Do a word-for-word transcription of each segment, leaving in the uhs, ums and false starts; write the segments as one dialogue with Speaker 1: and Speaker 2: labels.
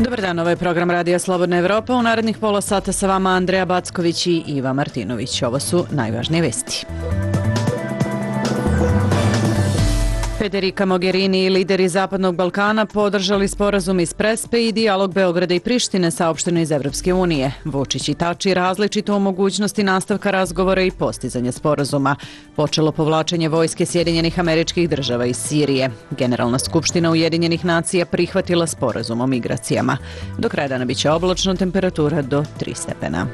Speaker 1: Dobar dan, ovo je program Radija Slobodna Evropa. U narednih pola sata sa vama Andreja Backović i Iva Martinović. Ovo su najvažnije vesti. Federica Mogherini i lideri Zapadnog Balkana podržali sporazum iz Prespe i dijalog Beograda i Prištine, saopšteno iz Evropske unije. Vučić i Tači različito o mogućnosti nastavka razgovora i postizanja sporazuma. Počelo povlačenje vojske Sjedinjenih Američkih Država iz Sirije. Generalna skupština Ujedinjenih nacija prihvatila sporazum o migracijama. Do kraja dana biće oblačno, temperatura do tri stepena.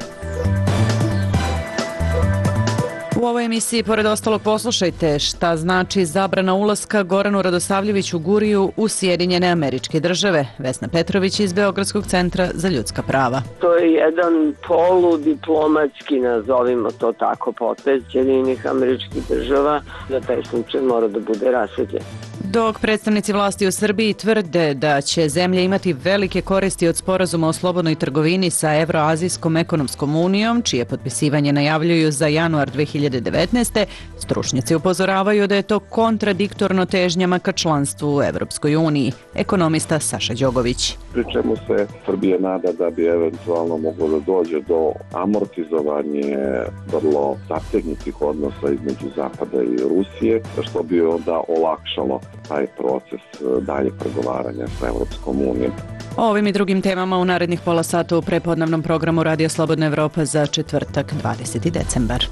Speaker 1: U ovoj emisiji, pored ostalog, poslušajte šta znači zabrana ulaska Goranu Radosavljeviću Guriju u Sjedinjene Američke Države. Vesna Petrović iz Beogradskog centra za ljudska prava.
Speaker 2: To je jedan poludiplomatski, nazovimo to tako, potez Sjedinjenih Američkih Država, da taj slučaj mora da bude rasvetljen.
Speaker 1: Dok predstavnici vlasti u Srbiji tvrde da će zemlja imati velike koristi od sporazuma o slobodnoj trgovini sa Evroazijskom ekonomskom unijom, čije potpisivanje najavljuju za januar dve hiljade devetnaeste. stručnjaci upozoravaju da je to kontradiktorno težnjama ka članstvu u Evropskoj uniji. Ekonomista Saša Đogović.
Speaker 3: Pri čemu se Srbija nada da bi eventualno moglo da dođe do amortizovanje vrlo zategnutih odnosa između Zapada i Rusije, što bi onda olakšalo taj proces dalje pregovaranja sa Evropskom unijom.
Speaker 1: O ovim i drugim temama u narednih pola sata u prepodnevnom programu Radija Slobodna Evropa za četvrtak dvadeseti decembar.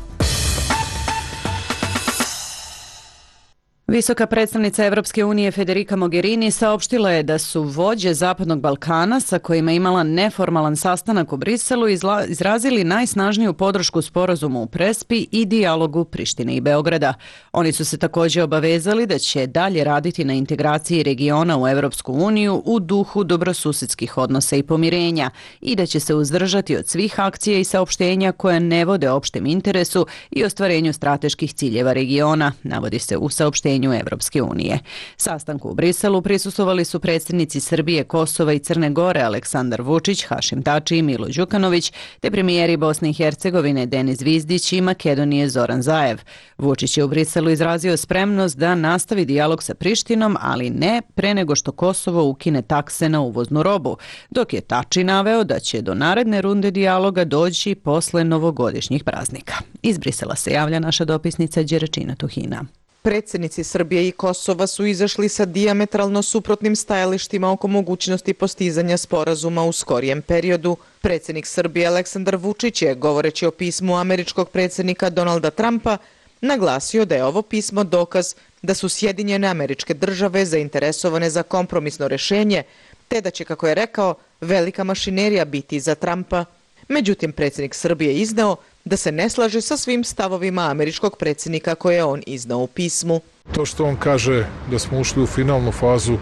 Speaker 1: Visoka predstavnica Evropske unije Federica Mogherini saopštila je da su vođe Zapadnog Balkana, sa kojima je imala neformalan sastanak u Briselu, izla, izrazili najsnažniju podršku sporazumu u Prespi i dijalogu Prištine i Beograda. Oni su se također obavezali da će dalje raditi na integraciji regiona u Evropsku uniju u duhu dobrosusedskih odnosa i pomirenja i da će se uzdržati od svih akcija i saopštenja koje ne vode opštem interesu i ostvarenju strateških ciljeva regiona, navodi se u saopštenju Evropske unije. Sastanku u Briselu prisustvovali su predsjednici Srbije, Kosova i Crne Gore Aleksandar Vučić, Hašim Tači i Milo Đukanović, te premijeri Bosne i Hercegovine Denis Zvizdić i Makedonije Zoran Zaev. Vučić je u Briselu izrazio spremnost da nastavi dijalog sa Prištinom, ali ne pre nego što Kosovo ukine takse na uvoznu robu, dok je Tači naveo da će do naredne runde dijaloga doći posle novogodišnjih praznika. Iz Brisela se javlja naša dopisnica Đeračina Tuhina.
Speaker 4: Predsjednici Srbije i Kosova su izašli sa dijametralno suprotnim stajalištima oko mogućnosti postizanja sporazuma u skorijem periodu. Predsjednik Srbije Aleksandar Vučić je, govoreći o pismu američkog predsjednika Donalda Trumpa, naglasio da je ovo pismo dokaz da su Sjedinjene Američke Države zainteresovane za kompromisno rješenje, te da će, kako je rekao, velika mašinerija biti za Trumpa. Međutim, predsjednik Srbije je izneo da se ne slaže sa svim stavovima američkog predsjednika koje je on iznao u pismu.
Speaker 5: To što on kaže da smo ušli u finalnu fazu,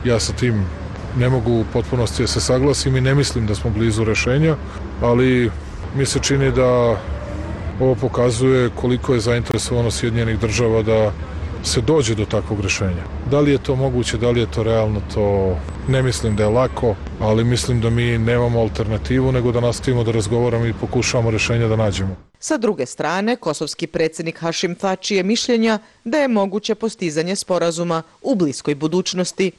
Speaker 5: ja sa tim ne mogu u potpunosti da se saglasim i ne mislim da smo blizu rešenja, ali mi se čini da ovo pokazuje koliko je zainteresovano Sjedinjenih Država da se dođe do takvog rešenja. Da li je to moguće, da li je to realno, to ne mislim da je lako, ali mislim da mi nemamo alternativu nego da nastavimo da razgovaramo i pokušavamo rešenja da nađemo.
Speaker 4: Sa druge strane, kosovski predsjednik Hašim Tači je mišljenja da je moguće postizanje sporazuma u bliskoj budućnosti.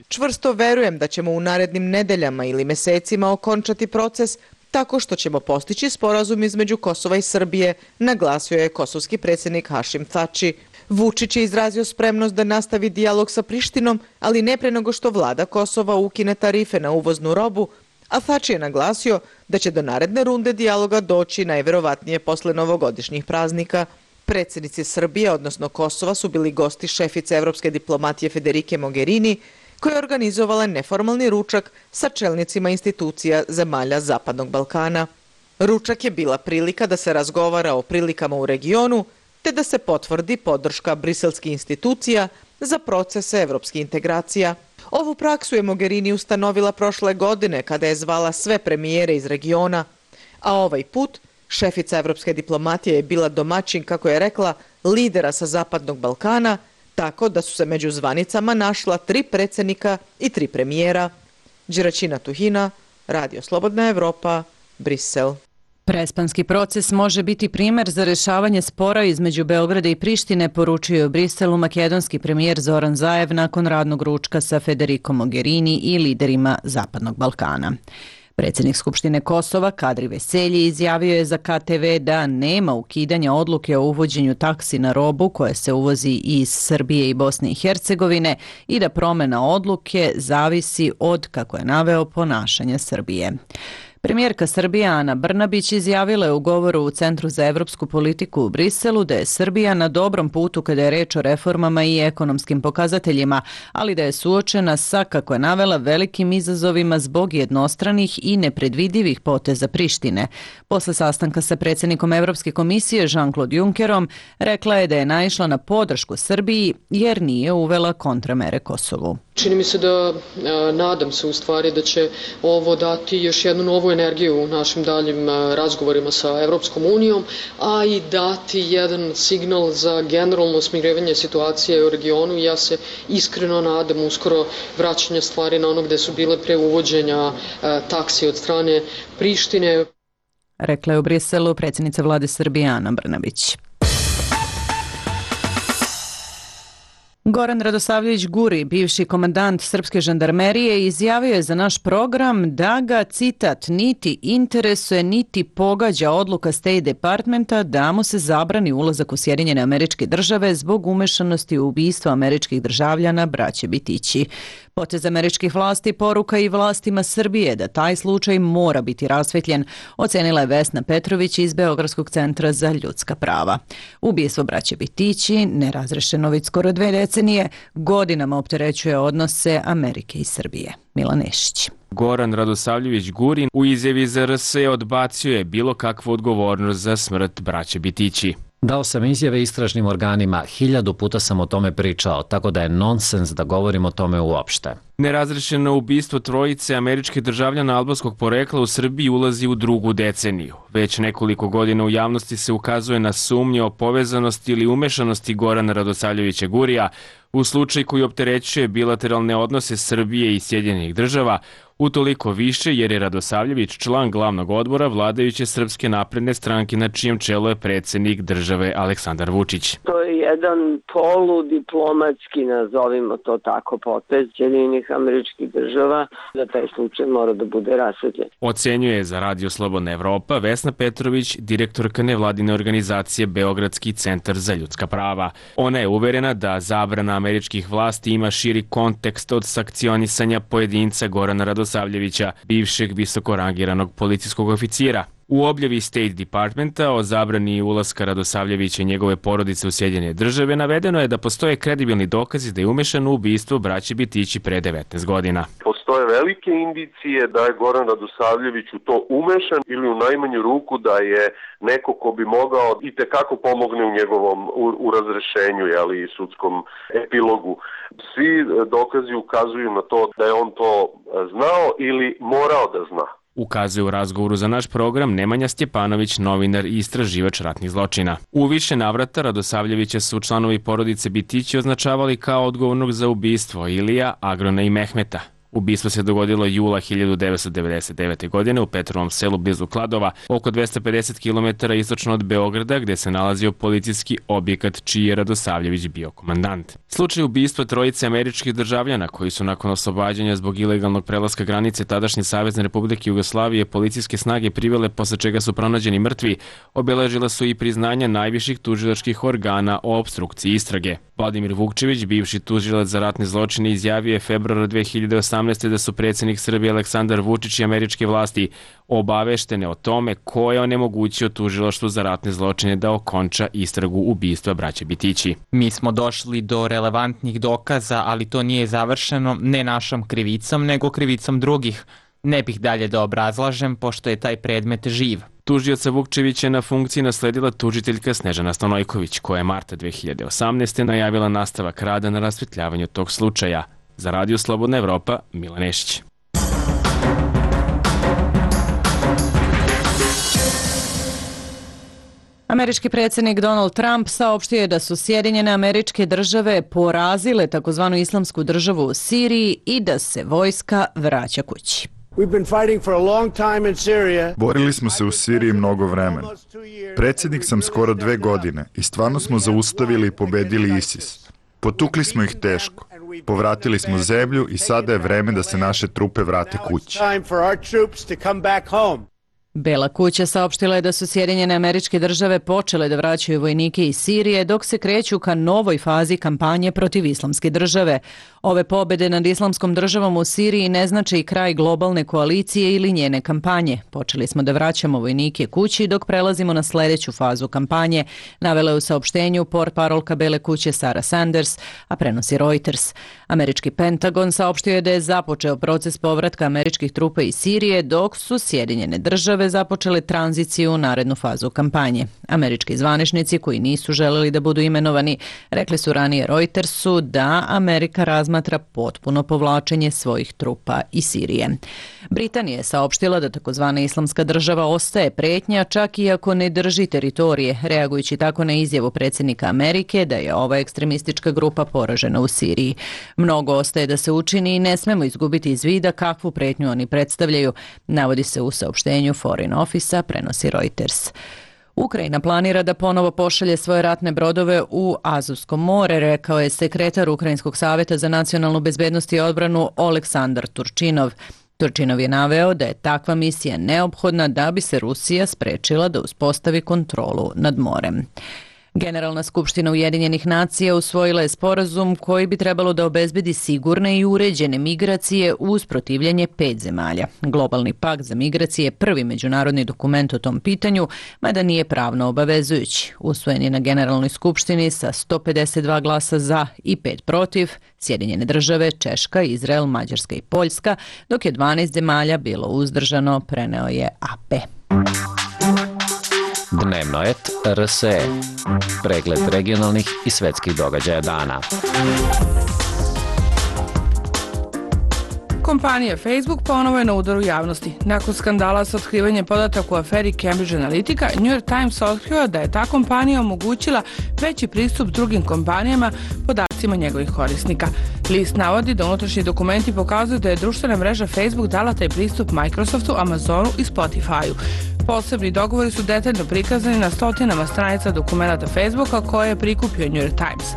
Speaker 4: Čvrsto verujem da ćemo u narednim nedeljama ili mesecima okončati proces tako što ćemo postići sporazum između Kosova i Srbije, naglasio je kosovski predsjednik Hašim Tači. Vučić je izrazio spremnost da nastavi dijalog sa Prištinom, ali ne pre nego što vlada Kosova ukine tarife na uvoznu robu, a Tači je naglasio da će do naredne runde dijaloga doći najverovatnije posle novogodišnjih praznika. Predsjednici Srbije, odnosno Kosova, su bili gosti šefice evropske diplomatije Federike Mogherini, koja je organizovala neformalni ručak sa čelnicima institucija zemalja Zapadnog Balkana. Ručak je bila prilika da se razgovara o prilikama u regionu, te da se potvrdi podrška briselskih institucija za procese evropskih integracija. Ovu praksu je Mogherini ustanovila prošle godine kada je zvala sve premijere iz regiona, a ovaj put šefica evropske diplomatije je bila domaćin, kako je rekla, lidera sa Zapadnog Balkana, tako da su se među zvanicama našla tri predsjednika i tri premijera. Đeračina Tuhina, Radio Slobodna Evropa, Brisel.
Speaker 1: Prespanski proces može biti primjer za rješavanje spora između Beograda i Prištine, poručio je u Briselu makedonski premijer Zoran Zaev nakon radnog ručka sa Federico Mogherini i liderima Zapadnog Balkana. Predsjednik Skupštine Kosova Kadri Veselji izjavio je za K T V da nema ukidanja odluke o uvođenju taksi na robu koja se uvozi iz Srbije i Bosne i Hercegovine i da promjena odluke zavisi od, kako je naveo, ponašanja Srbije. Premijerka Srbije Ana Brnabić izjavila je u govoru u Centru za evropsku politiku u Briselu da je Srbija na dobrom putu kada je reč o reformama i ekonomskim pokazateljima, ali da je suočena sa, kako je navela, velikim izazovima zbog jednostranih i nepredvidivih poteza Prištine. Posle sastanka sa predsjednikom Evropske komisije Jean-Claude Junckerom rekla je da je naišla na podršku Srbiji jer nije uvela kontramere Kosovu.
Speaker 6: Čini mi se da, nadam se u stvari da će ovo dati još jednu novu energiju u našim daljim razgovorima sa Evropskom unijom, a i dati jedan signal za generalno smirivanje situacije u regionu. Ja se iskreno nadam uskoro vraćanje stvari na ono gde su bile pre uvođenja taksi od strane Prištine.
Speaker 1: Rekla je u Briselu predsjednica vlade Srbije Ana Brnabić. Goran Radosavljević Guri, bivši komandant srpske žandarmerije, izjavio je za naš program da ga, citat, niti interesuje niti pogađa odluka State Departmenta da mu se zabrani ulazak u Sjedinjene Američke Države zbog umešanosti u ubistvo američkih državljana braće Bitići. Potez američkih vlasti poruka i vlastima Srbije da taj slučaj mora biti rasvetljen, ocenila je Vesna Petrović iz Beogradskog centra za ljudska prava. Ubistvo braće Bitići, nerazrešeno već skoro dve decenije, godinama opterećuje odnose Amerike i Srbije. Milan Nešić.
Speaker 7: Goran Radosavljević Gurin u izjavi za R S odbacio je bilo kakvu odgovornost za smrt braće Bitići.
Speaker 8: Dao sam izjave istražnim organima, hiljadu puta sam o tome pričao, tako da je nonsens da govorim o tome uopšte.
Speaker 7: Nerazrešeno ubistvo trojice američkih državljana albanskog porekla u Srbiji ulazi u drugu deceniju. Već nekoliko godina u javnosti se ukazuje na sumnje o povezanosti ili umešanosti Gorana Radosavljevića Gurija u slučaj koji opterećuje bilateralne odnose Srbije i Sjedinjenih država, utoliko više jer je Radosavljević član glavnog odbora vladajuće Srpske napredne stranke na čijem čelu je predsjednik države Aleksandar Vučić.
Speaker 2: To je jedan poludiplomatski, nazovimo to tako, potez Sjedinjenih Američkih Država, da taj slučaj mora da bude rasvetljen.
Speaker 7: Ocenjuje za Radio Slobodna Evropa Vesna Petrović, direktorka nevladine organizacije Beogradski centar za ljudska prava. Ona je uverena da zabrana američkih vlasti ima širi kontekst od sankcionisanja pojedinca Gorana Radosavljevića, bivšeg visokorangiranog policijskog oficira. U objavi State Departmenta o zabrani ulaska Radosavljevića i njegove porodice u Sjedinjene države navedeno je da postoje kredibilni dokazi da je umešan u ubistvo braće Bitići pre devetnaest godina.
Speaker 9: Postoje velike indicije da je Goran Radosavljević u to umešan ili u najmanju ruku da je neko ko bi mogao i tekako pomogne u njegovom u, u razrešenju, ali i sudskom epilogu. Svi dokazi ukazuju na to da je on to znao ili morao da zna.
Speaker 7: Ukazuje u razgovoru za naš program Nemanja Stjepanović, novinar i istraživač ratnih zločina. U više navrata Radosavljevića su članovi porodice Bitići označavali kao odgovornog za ubistvo Ilija, Agrona i Mehmeta. Ubistvo se dogodilo jula hiljadu devetsto devedeset devete. godine u Petrovom selu blizu Kladova, oko dvesta pedeset kilometara istočno od Beograda, gde se nalazio policijski objekat čiji je Radosavljević bio komandant. Slučaj ubistva trojice američkih državljana koji su nakon oslobađanja zbog ilegalnog prelaska granice tadašnje Savezne Republike Jugoslavije policijske snage privele, posle čega su pronađeni mrtvi, obeležila su i priznanja najviših tužilačkih organa o opstrukciji istrage. Vladimir Vukčević, bivši tužilac za ratne zločine, izjavio je februara dve hiljade osamnaeste. da su predsjednik Srbije Aleksandar Vučić i američke vlasti obaveštene o tome ko je onemogućio tužilaštvu za ratne zločine da okonča istragu ubistva braće Bitići.
Speaker 10: Mi smo došli do relevantnih dokaza, ali to nije završeno ne našom krivicom, nego krivicom drugih. Ne bih dalje da obrazlažem, pošto je taj predmet živ.
Speaker 7: Tužioca Vukčevića je na funkciji nasledila tužiteljka Snežana Stanojković, koja je marta dve hiljade osamnaeste. najavila nastavak rada na rasvetljavanju tog slučaja. Za Radio Slobodna Evropa, Milan Nešić.
Speaker 1: Američki predsjednik Donald Trump saopštio je da su Sjedinjene Američke Države porazile takozvanu islamsku državu u Siriji i da se vojska vraća kući.
Speaker 11: Borili smo se u Siriji mnogo vremena. Predsjednik sam skoro dve godine i stvarno smo zaustavili i pobedili ISIS. Potukli smo ih teško. Povratili smo zemlju i sada je vreme da se naše trupe vrate kući.
Speaker 1: Bela kuća saopštila je da su Sjedinjene Američke Države počele da vraćaju vojnike iz Sirije dok se kreću ka novoj fazi kampanje protiv Islamske države. Ove pobede nad Islamskom državom u Siriji ne znače i kraj globalne koalicije ili njene kampanje. Počeli smo da vraćamo vojnike kući dok prelazimo na sljedeću fazu kampanje, navela je u saopštenju portparolka Bele kuće Sarah Sanders, a prenosi Reuters. Američki Pentagon saopštio je da je započeo proces povratka američkih trupa iz Sirije dok su Sjedinjene države započele tranziciju u narednu fazu kampanje. Američki zvaničnici koji nisu želeli da budu imenovani rekli su ranije Reutersu da Amerika razmatra potpuno povlačenje svojih trupa iz Sirije. Britanija je saopštila da takozvana Islamska država ostaje pretnja čak i ako ne drži teritorije, reagujući tako na izjavu predsjednika Amerike da je ova ekstremistička grupa poražena u Siriji. Mnogo ostaje da se učini i ne smemo izgubiti iz vida kakvu pretnju oni predstavljaju, navodi se u saopštenju Foreign Office-a, prenosi Reuters. Ukrajina planira da ponovo pošalje svoje ratne brodove u Azovsko more, rekao je sekretar Ukrajinskog savjeta za nacionalnu bezbednost i odbranu Oleksandar Turčinov. Turčinov je naveo da je takva misija neophodna da bi se Rusija sprečila da uspostavi kontrolu nad morem. Generalna skupština Ujedinjenih nacija usvojila je sporazum koji bi trebalo da obezbedi sigurne i uređene migracije uz protivljenje pet zemalja. Globalni pakt za migracije je prvi međunarodni dokument o tom pitanju, mada nije pravno obavezujući. Usvojen je na Generalnoj skupštini sa sto pedeset dva glasa za i pet protiv, Sjedinjene države, Češka, Izrael, Mađarska i Poljska, dok je dvanaest zemalja bilo uzdržano, preneo je A P.
Speaker 8: Dnevnoet R S E. Pregled regionalnih i svetskih događaja dana.
Speaker 12: Kompanija Facebook ponovo je na udaru javnosti. Nakon skandala sa otkrivanjem podataka u aferi Cambridge Analytica, New York Times otkrio da je ta kompanija omogućila veći pristup drugim kompanijama podacima njegovih korisnika. List navodi da unutrašnji dokumenti pokazuju da je društvena mreža Facebook dala taj pristup Microsoftu, Amazonu i Spotify-u. Posebni dogovori su detaljno prikazani na stotinama stranica dokumenata Facebooka koje je prikupio New York Times.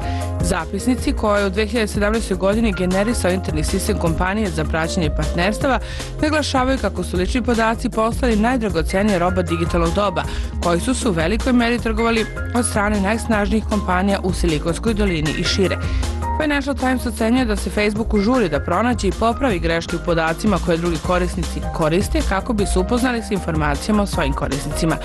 Speaker 12: Zapisnici koje je u dve hiljade sedamnaestoj. godini generisao interni sistem kompanije za praćenje partnerstava naglašavaju kako su lični podaci postali najdragocenija roba digitalnog doba, koji su se u velikoj meri trgovali od strane najsnažnijih kompanija u Silikonskoj dolini i šire. Financial Times ocenjuje da se Facebooku žuri da pronađe i popravi greške u podacima koje drugi korisnici koriste kako bi se upoznali s informacijama o svojim korisnicima.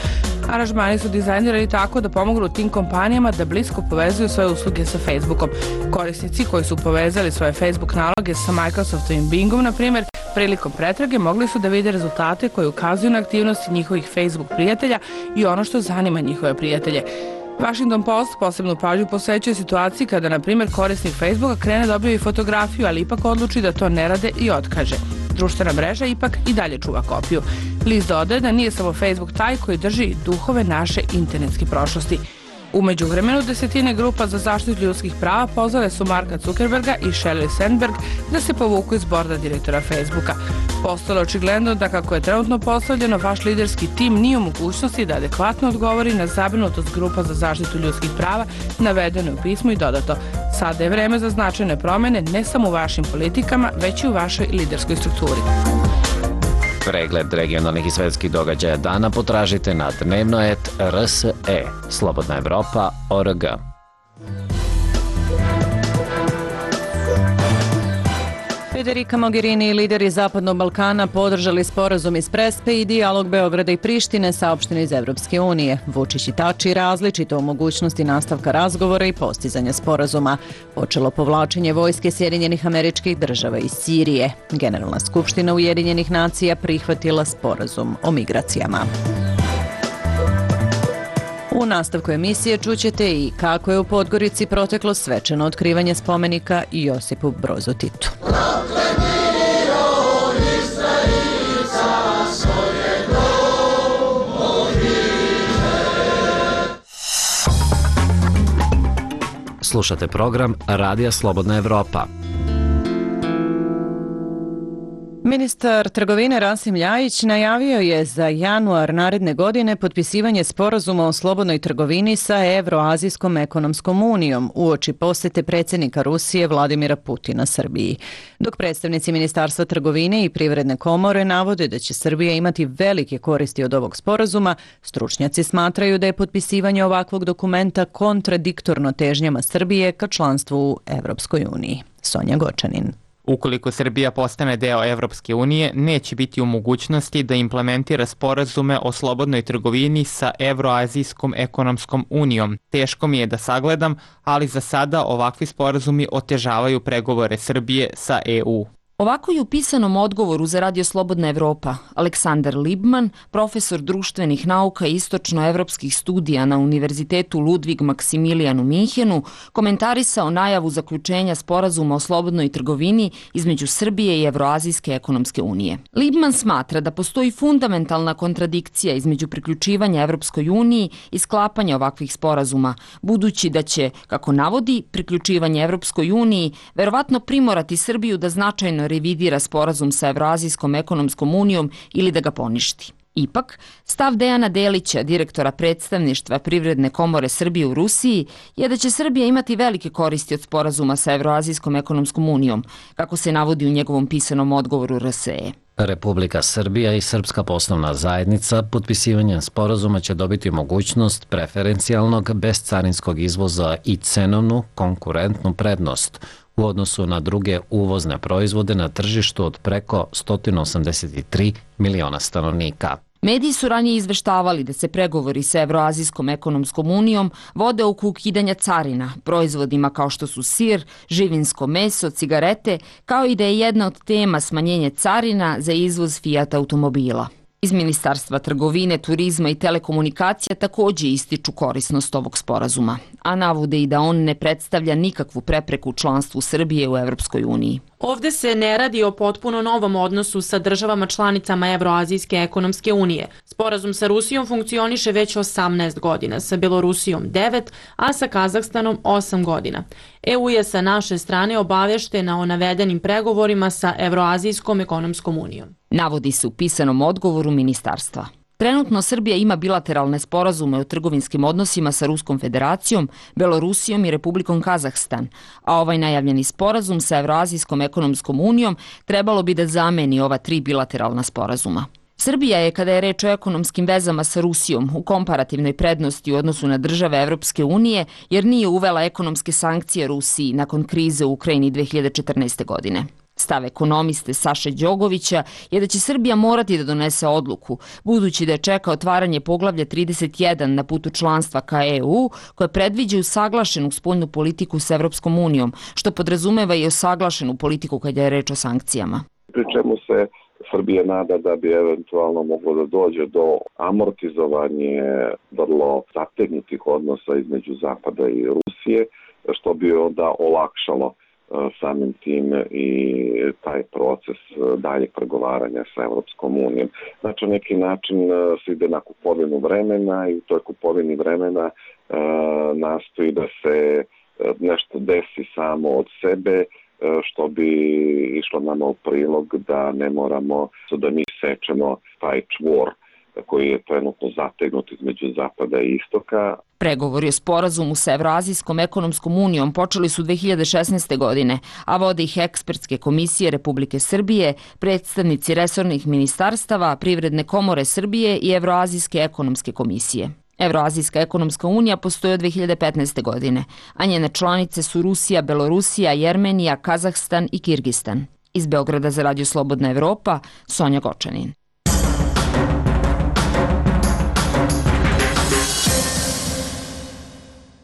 Speaker 12: Aranžmani su dizajnirani tako da pomognu tim kompanijama da blisko povezuju svoje usluge sa Facebookom. Korisnici koji su povezali svoje Facebook naloge sa Microsoftom i Bingom, na primjer, prilikom pretrage mogli su da vide rezultate koje ukazuju na aktivnosti njihovih Facebook prijatelja i ono što zanima njihove prijatelje. Washington Post posebnu pažnju posvećuje situaciji kada, na primjer, korisnik Facebooka krene da objavi fotografiju, ali ipak odluči da to ne rade i otkaže. Društvena mreža ipak i dalje čuva kopiju. List dodaje da nije samo Facebook taj koji drži duhove naše internetske prošlosti. U međuvremenu desetine grupa za zaštitu ljudskih prava pozvale su Marka Zuckerberga i Sheryl Sandberg da se povuku iz borda direktora Facebooka. Postalo je očigledno da kako je trenutno postavljeno, vaš liderski tim nije u mogućnosti da adekvatno odgovori na zabrinutost grupa za zaštitu ljudskih prava navedeno u pismu i dodato. Sada je vreme za značajne promjene ne samo u vašim politikama, već i u vašoj liderskoj strukturi.
Speaker 8: Pregled regionalnih i svetskih događaja dana potražite na Dnevnoet R S E. Slobodna Evropa O R G.
Speaker 1: Federica Mogherini i lideri Zapadnog Balkana podržali sporazum iz Prespe i dijalog Beograda i Prištine, saopšteni iz Evropske unije. Vučić i Tači različito o mogućnosti nastavka razgovora i postizanja sporazuma. Počelo povlačenje vojske Sjedinjenih Američkih Država iz Sirije. Generalna skupština Ujedinjenih nacija prihvatila sporazum o migracijama. U nastavku emisije čućete i kako je u Podgorici proteklo svečano otkrivanje spomenika Josipu Brozu Titu.
Speaker 8: Slušate program Radija Slobodna Evropa.
Speaker 1: Ministar trgovine Rasim Ljajić najavio je za januar naredne godine potpisivanje sporazuma o slobodnoj trgovini sa Evroazijskom ekonomskom unijom uoči posete predsjednika Rusije Vladimira Putina Srbiji. Dok predstavnici Ministarstva trgovine i Privredne komore navode da će Srbija imati velike koristi od ovog sporazuma, stručnjaci smatraju da je potpisivanje ovakvog dokumenta kontradiktorno težnjama Srbije ka članstvu u Evropskoj uniji. Sonja Gočanin.
Speaker 10: Ukoliko Srbija postane deo Evropske unije, neće biti u mogućnosti da implementira sporazume o slobodnoj trgovini sa Evroazijskom ekonomskom unijom. Teško mi je da sagledam, ali za sada ovakvi sporazumi otežavaju pregovore Srbije sa E U.
Speaker 13: Ovako je u pisanom odgovoru za Radio Slobodna Evropa Aleksandar Libman, profesor društvenih nauka i istočnoevropskih studija na Univerzitetu Ludvig Maksimilijan u Minhenu, komentarisao najavu zaključenja sporazuma o slobodnoj trgovini između Srbije i Evroazijske ekonomske unije. Libman smatra da postoji fundamentalna kontradikcija između priključivanja Evropskoj uniji i sklapanja ovakvih sporazuma, budući da će, kako navodi, priključivanje Evropskoj uniji verovatno primorati Srbiju da značajno revidira sporazum sa Evroazijskom ekonomskom unijom ili da ga poništi. Ipak, stav Dejana Delića, direktora predstavništva Privredne komore Srbije u Rusiji, je da će Srbija imati velike koristi od sporazuma sa Evroazijskom ekonomskom unijom, kako se navodi u njegovom pisanom odgovoru R S E.
Speaker 8: Republika Srbija i Srpska poslovna zajednica potpisivanjem sporazuma će dobiti mogućnost preferencijalnog bezcarinskog izvoza i cenovnu konkurentnu prednost u odnosu na druge uvozne proizvode na tržištu od preko sto osamdeset tri miliona stanovnika.
Speaker 13: Mediji su ranije izveštavali da se pregovori sa Evroazijskom ekonomskom unijom vode oko ukidanja carina, proizvodima kao što su sir, živinsko meso, cigarete, kao i da je jedna od tema smanjenje carina za izvoz Fiat automobila. Iz Ministarstva trgovine, turizma i telekomunikacija takođe ističu korisnost ovog sporazuma, a navode i da on ne predstavlja nikakvu prepreku članstvu Srbije u Evropskoj uniji.
Speaker 14: Ovde se ne radi o potpuno novom odnosu sa državama članicama Evroazijske ekonomske unije. Sporazum sa Rusijom funkcioniše već osamnaest godina, sa Belorusijom devet, a sa Kazahstanom osam godina. E U je sa naše strane obaveštena o navedenim pregovorima sa Evroazijskom ekonomskom unijom.
Speaker 13: Navodi se u pisanom odgovoru ministarstva. Trenutno Srbija ima bilateralne sporazume o trgovinskim odnosima sa Ruskom federacijom, Belorusijom i Republikom Kazahstan, a ovaj najavljeni sporazum sa Evroazijskom ekonomskom unijom trebalo bi da zameni ova tri bilateralna sporazuma. Srbija je, kada je reč o ekonomskim vezama sa Rusijom, u komparativnoj prednosti u odnosu na države Evropske unije, jer nije uvela ekonomske sankcije Rusiji nakon krize u Ukrajini dve hiljade četrnaeste. godine. Stav ekonomiste Saše Đogovića je da će Srbija morati da donese odluku, budući da je čeka otvaranje poglavlja trideset jedan na putu članstva ka E U, koja predviđa usaglašenu spoljnu politiku s Evropskom unijom, što podrazumeva i usaglašenu politiku kada je reč o sankcijama.
Speaker 3: Pri čemu se Srbija nada da bi eventualno moglo da dođe do amortizovanje vrlo zategnutih odnosa između Zapada i Rusije, što bi onda olakšalo samim tim i taj proces daljeg pregovaranja sa Evropskom unijom. Znači, na neki način se ide na kupovinu vremena i u toj kupovini vremena e, nastoji da se nešto desi samo od sebe, e, što bi išlo nama u prilog da ne moramo da mi sečemo taj čvor koji je trenutno zategnut između Zapada i Istoka.
Speaker 13: Pregovori o sporazumu sa Evroazijskom ekonomskom unijom počeli su dve hiljade šesnaeste. godine, a vode ih ekspertske komisije Republike Srbije, predstavnici resornih ministarstava, Privredne komore Srbije i Evroazijske ekonomske komisije. Evroazijska ekonomska unija postoji od dve hiljade petnaeste. godine, a njene članice su Rusija, Belorusija, Jermenija, Kazahstan i Kirgistan. Iz Beograda za Radio Slobodna Evropa, Sonja Gočanin.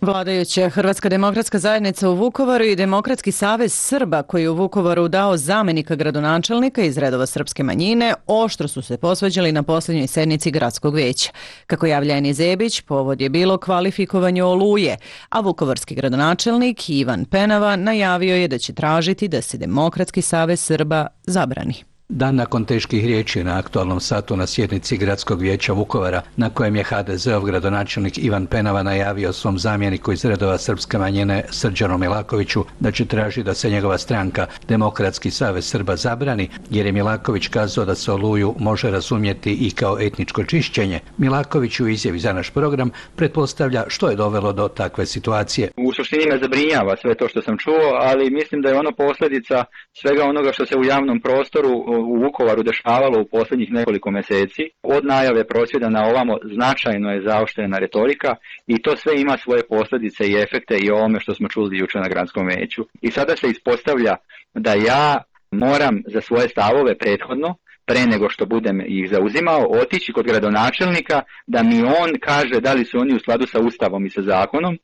Speaker 1: Vladajuća Hrvatska demokratska zajednica u Vukovaru i Demokratski savez Srba, koji je u Vukovaru dao zamenika gradonačelnika iz redova srpske manjine, oštro su se posvađali na posljednjoj sednici gradskog veća. Kako javlja Eni Zebić, povod je bilo kvalifikovanje Oluje, a vukovarski gradonačelnik Ivan Penava najavio je da će tražiti da se Demokratski savez Srba zabrani.
Speaker 15: Dan nakon teških riječi na aktualnom satu na sjednici Gradskog vijeća Vukovara, na kojem je ha de zeov gradonačelnik Ivan Penava najavio svom zamjeniku iz redova srpske manjine Srđanu Milakoviću da će tražiti da se njegova stranka Demokratski savez Srba zabrani, jer je Milaković kazao da se Oluju može razumjeti i kao etničko čišćenje. Milaković u izjavi za naš program pretpostavlja što je dovelo do takve situacije.
Speaker 16: U suštini me zabrinjava sve to što sam čuo, ali mislim da je ono posljedica svega onoga što se u javnom prostoru u Vukovaru dešavalo u posljednjih nekoliko mjeseci. Od najave prosvjeda na ovamo značajno je zaoštrena retorika i to sve ima svoje posljedice i efekte i o ovome što smo čuli jučer na gradskom vijeću. I sada se ispostavlja da ja moram za svoje stavove prethodno, pre nego što budem ih zauzimao, otići kod gradonačelnika da mi on kaže da li su oni u skladu sa Ustavom i sa zakonom,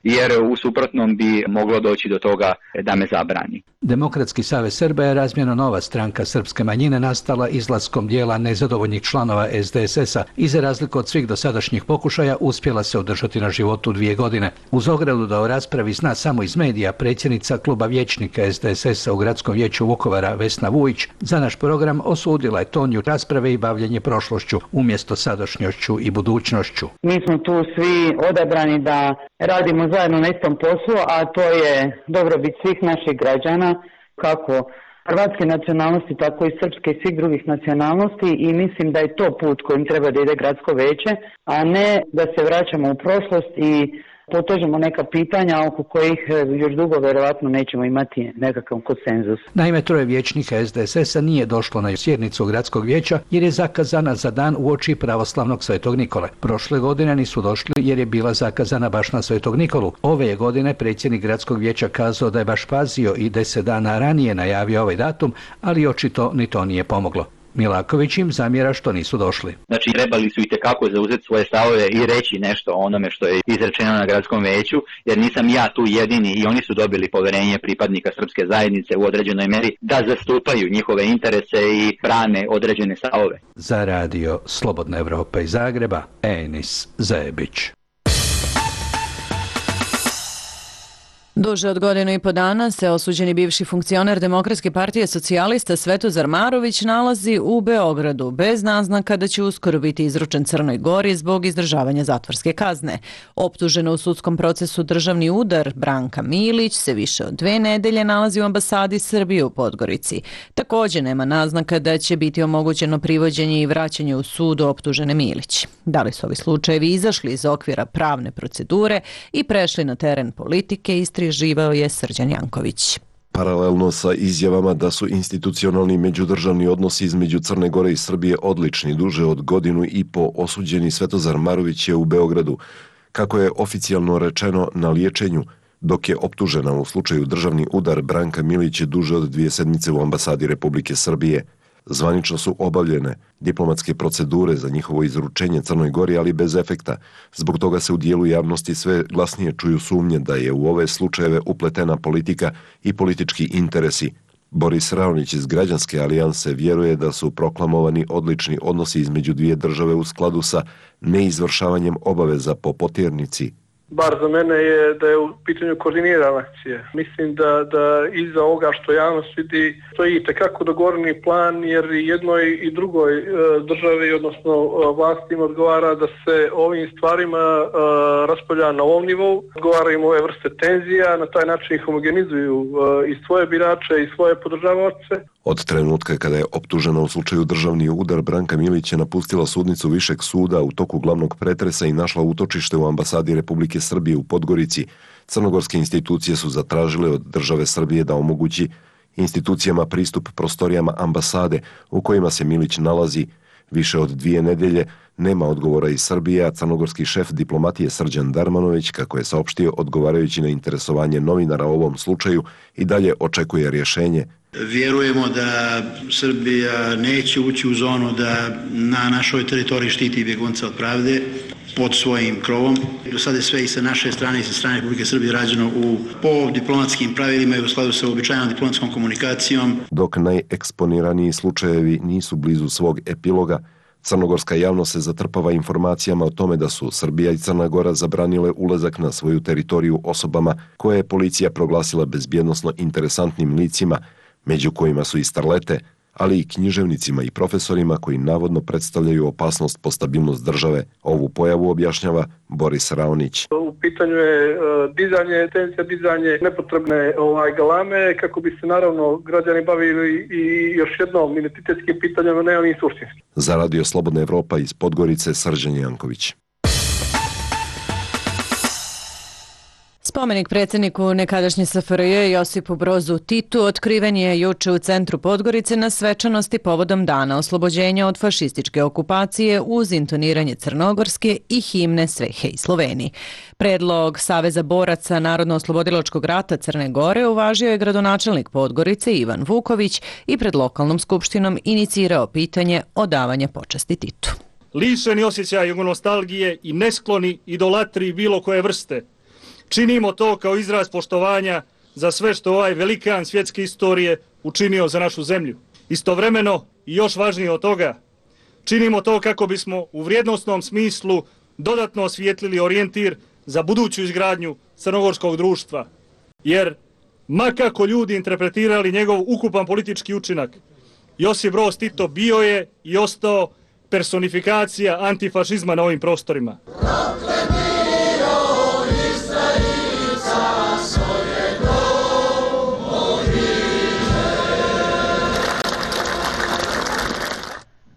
Speaker 16: jer u suprotnom bi moglo doći do toga da me zabrani.
Speaker 15: Demokratski savez Srba je razmjerno nova stranka srpske manjine nastala izlaskom dijela nezadovoljnih članova es de es es-a i za razliku od svih dosadašnjih pokušaja uspjela se održati na životu dvije godine. Uz ogradu da o raspravi zna samo iz medija, predsjednica kluba vijećnika es de es es-a u Gradskom vijeću Vukovara Vesna Vujić za naš program osudila je tonju rasprave i bavljenje prošlošću umjesto sadašnjošću i budućnošću.
Speaker 17: Mi smo tu svi odabrani da radimo zajedno na istom poslu, a to je dobrobit svih naših građana, kako hrvatske nacionalnosti, tako i srpske i svih drugih nacionalnosti, i mislim da je to put kojim treba da ide gradsko vijeće, a ne da se vraćamo u prošlost i potežemo neka pitanja oko kojih još dugo vjerovatno nećemo imati nekakav konsenzus.
Speaker 15: Naime, troje vijećnika es de es es-a nije došlo na sjednicu Gradskog vijeća jer je zakazana za dan uoči pravoslavnog Svetog Nikole. Prošle godine nisu došli jer je bila zakazana baš na Svetog Nikolu. Ove je godine predsjednik Gradskog vijeća kazao da je baš pazio i deset dana ranije najavio ovaj datum, ali očito ni to nije pomoglo. Milaković im zamjera što nisu došli.
Speaker 16: Znači, trebali su itekako zauzeti svoje stavove i reći nešto o onome što je izrečeno na gradskom vijeću, jer nisam ja tu jedini i oni su dobili poverenje pripadnika srpske zajednice u određenoj meri da zastupaju njihove interese i brane određene stavove.
Speaker 15: Za radio Slobodna Evropa iz Zagreba, Enis Zebić.
Speaker 1: Duže od godinu i po dana se osuđeni bivši funkcioner Demokratske partije socijalista Svetozar Marović nalazi u Beogradu bez naznaka da će uskoro biti izručen Crnoj Gori zbog izdržavanja zatvorske kazne. Optužena u sudskom procesu državni udar Branka Milić se više od dve nedelje nalazi u ambasadi Srbije u Podgorici. Također nema naznaka da će biti omogućeno privođenje i vraćanje u sud optužene Milić. Da li su ovi slučajevi izašli iz okvira pravne procedure i prešli na teren politike, istraživao je Srđan Janković.
Speaker 18: Paralelno sa izjavama da su institucionalni međudržavni odnosi između Crne Gore i Srbije odlični, duže od godinu i po osuđeni Svetozar Marović je u Beogradu, kako je oficijalno rečeno, na liječenju, dok je optužena u slučaju državni udar Branka Milić duže od dvije sedmice u ambasadi Republike Srbije. Zvanično su obavljene diplomatske procedure za njihovo izručenje Crnoj Gori, ali bez efekta. Zbog toga se u dijelu javnosti sve glasnije čuju sumnje da je u ove slučajeve upletena politika i politički interesi. Boris Raonić iz Građanske alijanse vjeruje da su proklamovani odlični odnosi između dvije države u skladu sa neizvršavanjem obaveza po potjernici.
Speaker 19: Bar za mene je da je u pitanju koordinirana akcija. Mislim da, da iza ovoga što javnost vidi stoji tekako dogovoreni plan, jer jednoj i drugoj e, državi, odnosno e, vlastima odgovara da se ovim stvarima e, raspravlja na ovom nivou, odgovaraju ove vrste tenzija, na taj način homogenizuju e, i svoje birače i svoje podržavaoce.
Speaker 18: Od trenutka kada je optužena u slučaju državni udar, Branka Milić je napustila sudnicu Višeg suda u toku glavnog pretresa i našla utočište u ambasadi Republike Srbije u Podgorici. Crnogorske institucije su zatražile od države Srbije da omogući institucijama pristup prostorijama ambasade u kojima se Milić nalazi. Više od dvije nedelje nema odgovora iz Srbije, a crnogorski šef diplomatije Srđan Darmanović, kako je saopštio odgovarajući na interesovanje novinara o ovom slučaju, i dalje očekuje rješenje.
Speaker 20: Vjerujemo da Srbija neće ući u zonu da na našoj teritoriji štiti bjegunca od pravde pod svojim krovom. Do sada je sve i sa naše strane i sa strane Republike Srbije rađeno u, po diplomatskim pravilima i u skladu sa uobičajenom diplomatskom komunikacijom.
Speaker 18: Dok najeksponiraniji slučajevi nisu blizu svog epiloga, crnogorska javnost se zatrpava informacijama o tome da su Srbija i Crna Gora zabranile ulazak na svoju teritoriju osobama koje je policija proglasila bezbjednosno interesantnim licima, među kojima su i starlete, ali i književnicima i profesorima koji navodno predstavljaju opasnost po stabilnost države. Ovu pojavu objašnjava Boris Raonić.
Speaker 19: U pitanju je dizanje, tendencija dizanje nepotrebne ovaj, galame kako bi se naravno građani bavili i još jednom identitetskim pitanjama, ne onim suštinskim.
Speaker 18: Za Radio Slobodna Evropa iz Podgorice, Srđan Janković.
Speaker 1: Spomenik predsjedniku nekadašnje S F R J Josipu Brozu Titu otkriven je juče u centru Podgorice na svečanosti povodom dana oslobođenja od fašističke okupacije uz intoniranje crnogorske i himne Svehe i Sloveniji. Predlog Saveza boraca Narodno-oslobodilačkog rata Crne Gore uvažio je gradonačelnik Podgorice Ivan Vuković i pred lokalnom skupštinom inicirao pitanje odavanja počasti Titu.
Speaker 21: Lišeni osjećaj jugonostalgije i neskloni idolatriji bilo koje vrste, činimo to kao izraz poštovanja za sve što ovaj velikan svjetske istorije učinio za našu zemlju. Istovremeno i još važnije od toga, činimo to kako bismo u vrijednosnom smislu dodatno osvijetlili orijentir za buduću izgradnju crnogorskog društva. Jer, ma kako ljudi interpretirali njegov ukupan politički učinak, Josip Broz Tito bio je i ostao personifikacija antifašizma na ovim prostorima.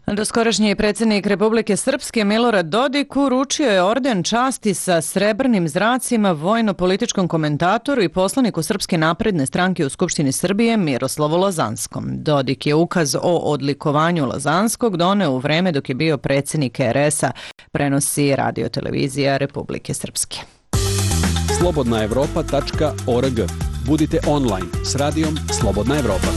Speaker 1: Doskorašnji predsjednik Republike Srpske Milorad Dodik uručio je orden časti sa srebrnim zracima vojno-političkom komentatoru i poslaniku Srpske napredne stranke u Skupštini Srbije Miroslavu Lazanskom. Dodik je ukaz o odlikovanju Lazanskog doneo u vreme dok je bio predsjednik R S a, prenosi radiotelevizija Republike Srpske.
Speaker 22: slobodna evropa tačka org. Budite online s radijom Slobodna Evropa.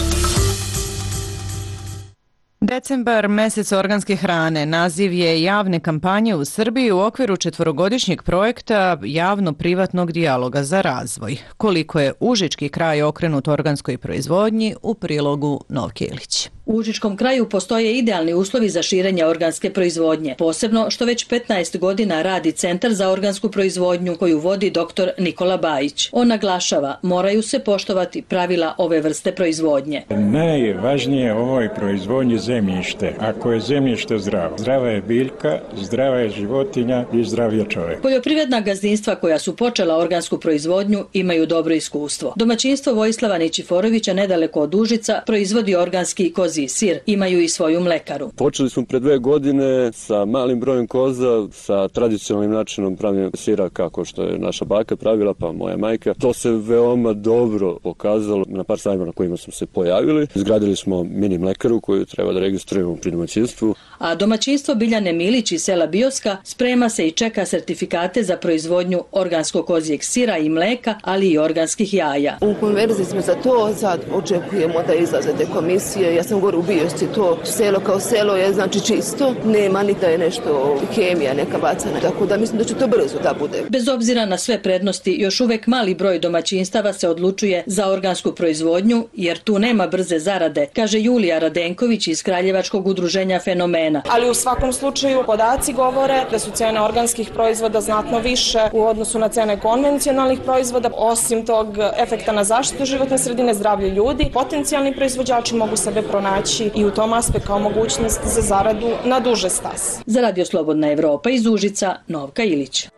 Speaker 1: Decembar, mesec organske hrane, naziv je javne kampanje u Srbiji u okviru četvorogodišnjeg projekta javno-privatnog dijaloga za razvoj. Koliko je užički kraj okrenut organskoj proizvodnji, u prilogu Novke Ilić.
Speaker 23: U užičkom kraju postoje idealni uslovi za širenje organske proizvodnje, posebno što već petnaest godina radi Centar za organsku proizvodnju koju vodi doktor Nikola Bajić. On naglašava, moraju se poštovati pravila ove vrste proizvodnje.
Speaker 24: Najvažnije u ovoj proizvodnji zemljište. Ako je zemljište zdravo, zdrava je biljka, zdrava je životinja i zdrav je čovjek.
Speaker 23: Poljoprivredna gazdinstva koja su počela organsku proizvodnju imaju dobro iskustvo. Domaćinstvo Vojislava Ničiforovića nedaleko od Užica proizvodi organski kozi sir, imaju i svoju mlekaru.
Speaker 25: Počeli smo pre dve godine sa malim brojem koza, sa tradicionalnim načinom pravljenja sira kako što je naša baka pravila, pa moja majka. To se veoma dobro pokazalo na par sajma na kojima smo se pojavili. Izgradili smo mini mlekaru koju treba da registrujemo pri domaćinstvu.
Speaker 23: A domaćinstvo Biljane Milić iz sela Bioska sprema se i čeka sertifikate za proizvodnju organskog kozijeg sira i mleka, ali i organskih jaja.
Speaker 26: U konverziji smo za to, sad očekujemo da izlaze te komisije. Ja sam gore u Biosci, to selo kao selo je znači čisto, nema ni da je nešto hemija neka bacana, tako da mislim da će to brzo da bude.
Speaker 23: Bez obzira na sve prednosti, još uvek mali broj domaćinstava se odlučuje za organsku proizvodnju, jer tu nema brze zarade, kaže Julija Radenković iz Kraljevačkog udruženja Fenomena.
Speaker 27: Ali u svakom slučaju podaci govore da su cene organskih proizvoda znatno više u odnosu na cene konvencionalnih proizvoda. Osim tog efekta na zaštitu životne sredine, zdravlje ljudi, potencijalni proizvođači mogu sebe pronaći i u tom aspektu kao mogućnost za zaradu na duže staze.
Speaker 23: Za Radio Slobodna Evropa iz Užica, Novka Ilić.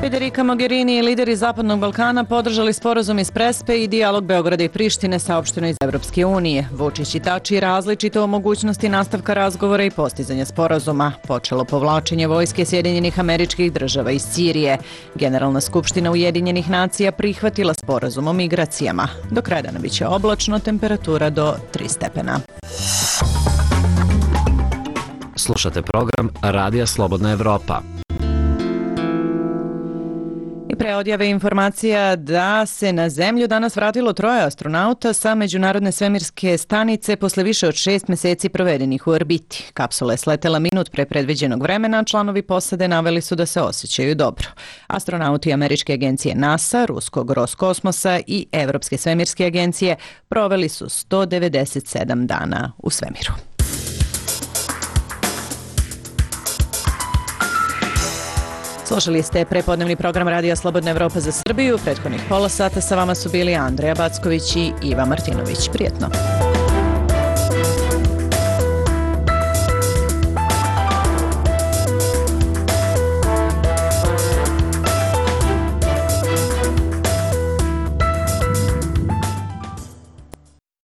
Speaker 1: Federica Mogherini i lideri Zapadnog Balkana podržali sporazum iz Prespe i dijalog Beograda i Prištine saopšteno iz Evropske unije. Vučić i Tači različito o mogućnosti nastavka razgovora i postizanja sporazuma. Počelo povlačenje vojske Sjedinjenih Američkih Država iz Sirije. Generalna skupština Ujedinjenih nacija prihvatila sporazum o migracijama. Do kraja dana biće oblačno, temperatura do tri stepena.
Speaker 8: Slušate program Radija Slobodna Evropa.
Speaker 1: I pre odjave informacija da se na Zemlju danas vratilo troje astronauta sa Međunarodne svemirske stanice posle više od šest meseci provedenih u orbiti. Kapsula je sletela minut pre predviđenog vremena, članovi posade naveli su da se osjećaju dobro. Astronauti američke agencije NASA, ruskog Roskosmosa i Evropske svemirske agencije proveli su sto devedeset sedam dana u svemiru. Slušali ste prepodnevni program Radija Slobodna Evropa za Srbiju. Prethodnih pola sata sa vama su bili Andreja Backović i Iva Martinović. Prijetno.